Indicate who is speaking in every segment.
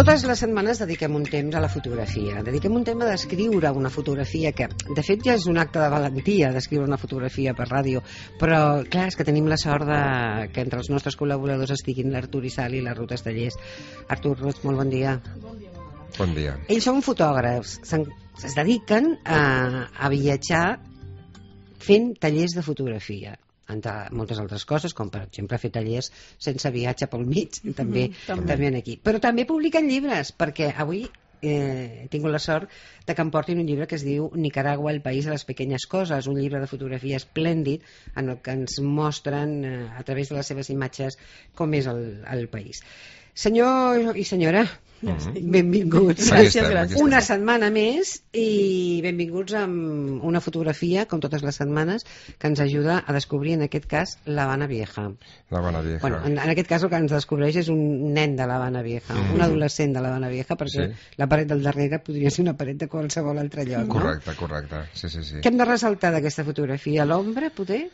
Speaker 1: Totes les setmanes dediquem un temps a la fotografia. Dediquem un temps a descriure una fotografia que, de fet, ja és un acte de valentia descriure una fotografia per ràdio, però, clar, és que tenim la sort que entre els nostres col·laboradors estiguin l'Artur Isal i la Ruth Estellers. Artur, Ruth, molt bon dia.
Speaker 2: Bon dia.
Speaker 1: Ells són fotògrafs, es dediquen a viatjar fent tallers de fotografia, entre moltes altres coses, com per exemple fer tallers sense viatge pel mig, també aquí. Però també publiquen llibres, perquè avui he tingut la sort de que em portin un llibre que es diu Nicaragua, el país de les pequeñas cosas, un llibre de fotografia esplèndid en el que ens mostren a través de les seves imatges com és el país. Senyor i senyora, benvinguts.
Speaker 2: Gràcies.
Speaker 1: Una setmana més i benvinguts amb una fotografia, com totes les setmanes, que ens ajuda a descobrir, en aquest cas, l'Havana Vieja.
Speaker 2: L'Havana Vieja.
Speaker 1: Bueno, en aquest cas el que ens descobreix és un nen de l'Havana Vieja, un adolescent de l'Havana Vieja, perquè la paret del darrere podria ser una paret de qualsevol altre lloc.
Speaker 2: Correcte. Sí.
Speaker 1: Què hem de ressaltar d'aquesta fotografia? L'ombra, poder?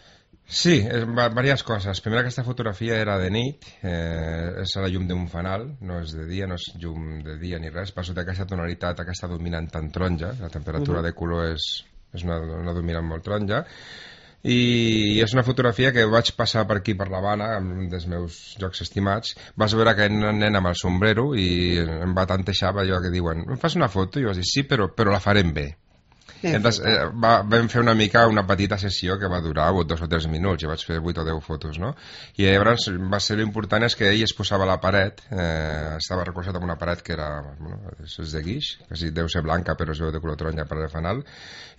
Speaker 2: Sí, diverses coses. Primera, aquesta fotografia era de nit, és a la llum d'un fanal, no és de dia, no és llum de dia ni res, per sota aquesta tonalitat, aquesta dominant tan taronja, la temperatura de color és una dominant molt taronja, i és una fotografia que vaig passar per aquí, per l'Havana, un dels meus llocs estimats. Vas veure aquest nen amb el sombrero i em va tantejar allò que diuen, em fas una foto? I jo vaig dir, sí, però la farem bé. Entonces, vam fer una petita sessió que va durar 2 o 3 minuts, jo vaig fer 8 o 10 fotos, no? I llavors va ser l'important és que ell es posava a la paret, estava recolzat en una paret que era, és de guix, que sí, deu ser blanca però es veu de color taronja per el fanal,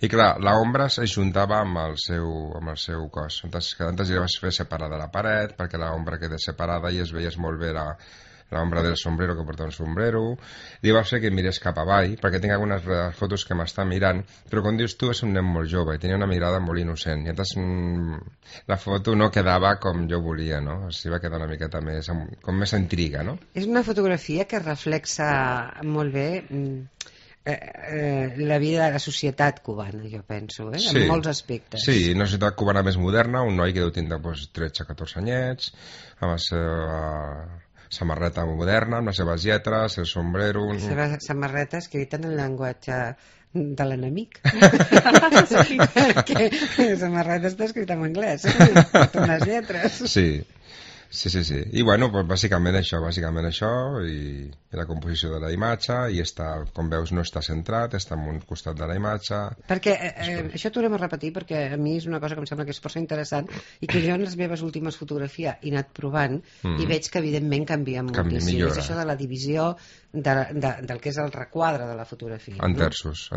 Speaker 2: i clar, l'ombra es juntava amb el seu cos, entonces cada tant li vas fer separada la paret perquè l'ombra queda separada i es veies molt bé l'ombra del sombrero, que porta un sombrero. Li va fer que mirés cap avall, perquè tinc algunes fotos que m'està mirant, però com dius tu és un nen molt jove i tenia una mirada molt innocent, i llavors la foto no quedava com jo volia, no? O sigui, va quedar una miqueta més, com més intriga, no?
Speaker 1: És una fotografia que reflexa molt bé la vida de la societat cubana, jo penso, en molts aspectes.
Speaker 2: Sí, una societat cubana més moderna, un noi que deu tindre 13-14 anyets, amb la seva samarreta moderna, amb les seves lletres, el sombrero...
Speaker 1: La seva samarreta escrita en el llenguatge de l'enemic. Perquè la samarreta està escrita en anglès, amb unes lletres.
Speaker 2: Sí. I bueno, pues bàsicament això, i la composició de la imatge, i com veus no està centrat, està en un costat de la imatge.
Speaker 1: Perquè això tornem a repetir, perquè a mi és una cosa que em sembla que és força interessant, i que jo en les meves últimes fotografies he anat provant, i veig que evidentment canvia moltíssim. És això de la divisió del que és el requadre de la fotografia.
Speaker 2: En terços.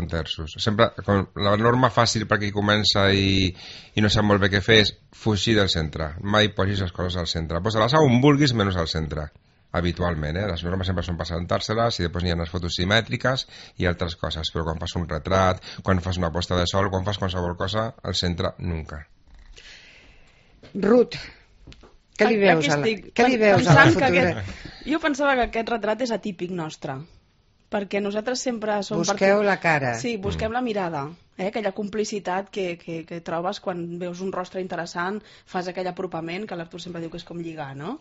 Speaker 2: Sempre, la norma fàcil per qui comença i no sap molt bé què fer és fugir del centre. Mai posis les coses al centre. Posa-les on vulguis menys al centre, habitualment. Les normes sempre són presentar-se-les i després hi ha les fotos simètriques i altres coses, però quan fas un retrat, quan fas una posta de sol, quan fas qualsevol cosa, al centre, nunca.
Speaker 1: Ruth, què li veus a la fotografia?
Speaker 3: Jo pensava que aquest retrat és atípic nostre, perquè nosaltres sempre som...
Speaker 1: Busqueu la cara.
Speaker 3: Sí, busquem la mirada, aquella complicitat que trobes quan veus un rostre interessant, fas aquell apropament, que l'Artur sempre diu que és com lligar, no?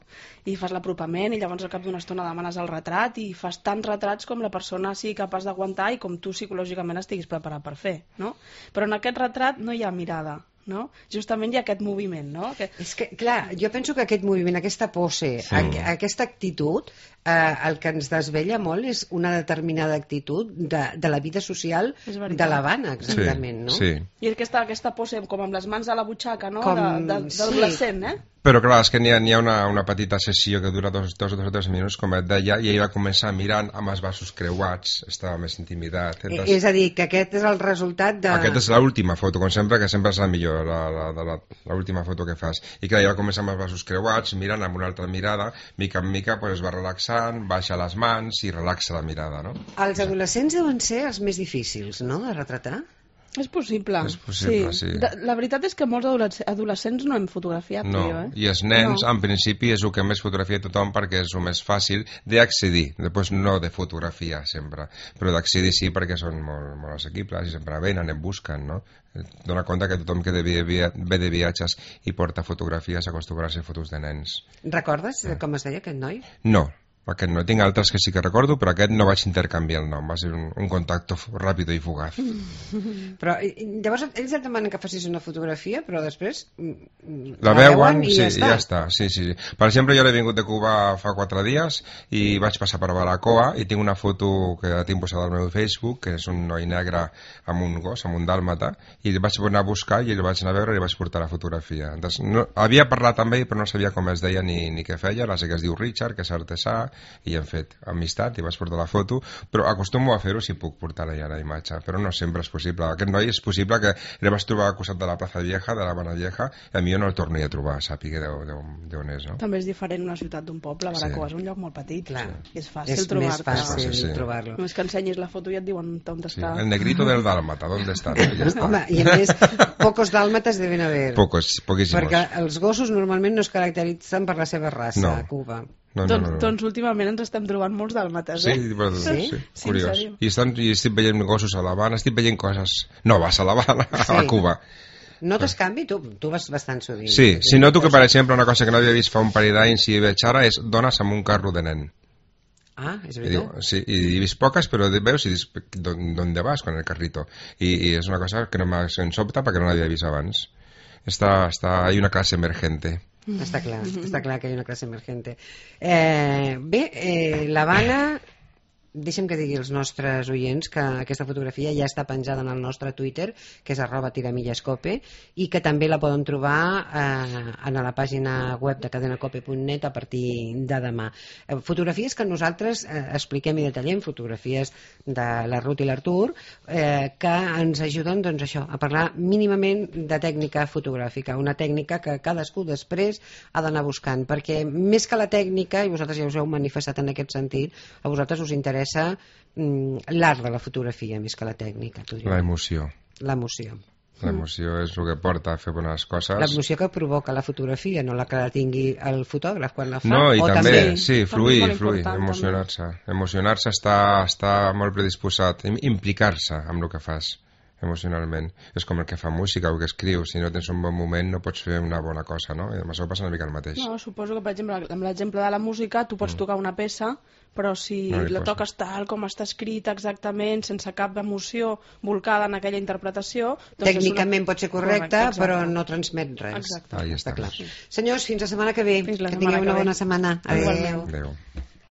Speaker 3: I fas l'apropament i llavors al cap d'una estona demanes el retrat i fas tants retrats com la persona sigui capaç d'aguantar i com tu psicològicament estiguis preparat per fer, no? Però en aquest retrat no hi ha mirada, no? Justament hi ha aquest moviment, no?
Speaker 1: És que, clar, jo penso que aquest moviment, aquesta pose, aquesta actitud, el que ens desvella molt és una determinada actitud de la vida social de l'Havana, exactament, no?
Speaker 2: Sí.
Speaker 3: I aquesta pose com amb les mans a la butxaca, no? D'adolescent,
Speaker 2: Però clar, és que n'hi ha una petita sessió que dura 2 o 3 minuts, com et deia, i ell va començar mirant amb els braços creuats, estava més intimidat.
Speaker 1: És a dir, que aquest és el resultat de...
Speaker 2: Aquesta és l'última foto, com sempre, que sempre és la millor, l'última foto que fas. I clar, ell va començar amb els braços creuats, mirant amb una altra mirada, mica en mica es va relaxant, baixa les mans i relaxa la mirada, no?
Speaker 1: Els adolescents deuen ser els més difícils, no?, de retratar?
Speaker 3: És possible.
Speaker 2: Sí.
Speaker 3: La veritat és que molts adolescents no hem fotografiat.
Speaker 2: No, i els nens, en principi, és el que més fotografia tothom perquè és el més fàcil d'accedir. Després no de fotografia, sempre. Però d'accedir sí, perquè són molt assequibles i sempre venen, en busquen, no? Dona compte que tothom que ve de viatges i porta fotografies acostuma a ser fotos de nens.
Speaker 1: Recordes com es deia aquest noi?
Speaker 2: No, Aquest no. Tinc altres que sí que recordo, però aquest no vaig intercanviar el nom. Va ser un contacte ràpid i fugaz.
Speaker 1: Però llavors ells et demanen que facis una fotografia, però després
Speaker 2: La veuen
Speaker 1: i
Speaker 2: sí,
Speaker 1: ja
Speaker 2: ja està. Sí. Per exemple, jo l'he vingut de Cuba fa 4 dies i vaig passar per Baracoa i tinc una foto que la tinc posada al meu Facebook, que és un noi negre amb un gos, amb un dàlmata, i el vaig anar a buscar i el vaig anar a veure i li vaig portar la fotografia. Havia parlat amb ell, però no sabia com es deia ni què feia. Ara sé que es diu Richard, que és artesà, i hem fet amistat i vaig portar la foto, però acostumo a fer-ho si puc portar-la ja la imatge, però no sempre és possible. Aquest noi és possible que el vaig trobar al costat de la Plaza Vieja, de la Habana Vieja, i a mi jo no el torni a trobar, sàpiga d'on és, no?
Speaker 3: També és diferent una ciutat d'un poble, Baracoa és un lloc molt petit.
Speaker 1: Clar.
Speaker 3: És fàcil
Speaker 1: És
Speaker 3: trobar-te.
Speaker 1: més fàcil
Speaker 2: Sí.
Speaker 1: trobar-lo.
Speaker 3: Només que ensenyis la foto i et diuen on està.
Speaker 2: El negrito del dálmata, ¿dónde está? Ja està.
Speaker 1: Home, i a més, pocos dàlmates deben haver.
Speaker 2: Poquísimos.
Speaker 1: Perquè els gossos normalment no es caracteritzen per la seva raça
Speaker 2: No.
Speaker 1: a Cuba.
Speaker 2: No.
Speaker 3: Doncs últimament ens estem trobant molts dàlmates,
Speaker 2: Sí,
Speaker 3: eh?
Speaker 2: sí,
Speaker 3: Sí,
Speaker 2: curiós.
Speaker 3: en
Speaker 2: I estic veient gossos a l'Havana, estic veient coses noves a l'Havana,
Speaker 1: Sí.
Speaker 2: a Cuba.
Speaker 1: Notes canvi? Tu vas bastant sovint.
Speaker 2: Sí, noto que, per exemple, una cosa que no havia vist fa un parell d'anys i veig ara és dones amb un carro de nen.
Speaker 1: Ah, és
Speaker 2: I diu,
Speaker 1: veritat?
Speaker 2: sí, i he vist poques, però veus i dius, ¿dónde vas con el carrito? I és una cosa que no m'ha sobta perquè no l'havia vist abans. Hay una clase emergente.
Speaker 1: Està clar que hi ha una classe emergente. L'Havana, deixa'm que digui als nostres oients que aquesta fotografia ja està penjada en el nostre Twitter, que és @tiramillescope, i que també la poden trobar en la pàgina web de cadenacope.net a partir de demà. Fotografies que nosaltres expliquem i detallem, fotografies de la Ruth i l'Artur, que ens ajuden, doncs, això, a parlar mínimament de tècnica fotogràfica, una tècnica que cadascú després ha d'anar buscant, perquè més que la tècnica, i vosaltres ja us heu manifestat en aquest sentit, a vosaltres us interessa l'art de la fotografia més que la tècnica.
Speaker 2: L'emoció.
Speaker 1: L'emoció.
Speaker 2: L'emoció és el que porta a fer bones coses.
Speaker 1: L'emoció que provoca la fotografia, no la que la tingui el fotògraf quan la fa.
Speaker 2: No, i
Speaker 1: o
Speaker 2: també, sí,
Speaker 3: també
Speaker 2: fluir,
Speaker 3: és molt important,
Speaker 2: emocionar-se. Emocionar-se està molt predisposat, implicar-se amb el que fas emocionalment. És com el que fa música o que escriu. Si no tens un bon moment no pots fer una bona cosa, no? I amb això passa una mica el mateix.
Speaker 3: No, suposo que, per exemple, amb l'exemple de la música, tu pots tocar una peça, però si
Speaker 2: No
Speaker 3: la toques tal com està escrita exactament, sense cap emoció volcada en aquella interpretació... Doncs
Speaker 1: tècnicament pot ser correcta,
Speaker 3: exacte.
Speaker 1: però no transmet res.
Speaker 3: Exacte.
Speaker 2: Ahí
Speaker 1: Està
Speaker 2: està.
Speaker 1: clar. Senyors, fins la setmana que ve.
Speaker 3: Fins la
Speaker 1: que
Speaker 3: setmana
Speaker 1: tingueu
Speaker 3: que
Speaker 1: una
Speaker 3: ve.
Speaker 1: bona setmana.
Speaker 3: Igualment.
Speaker 2: Adéu.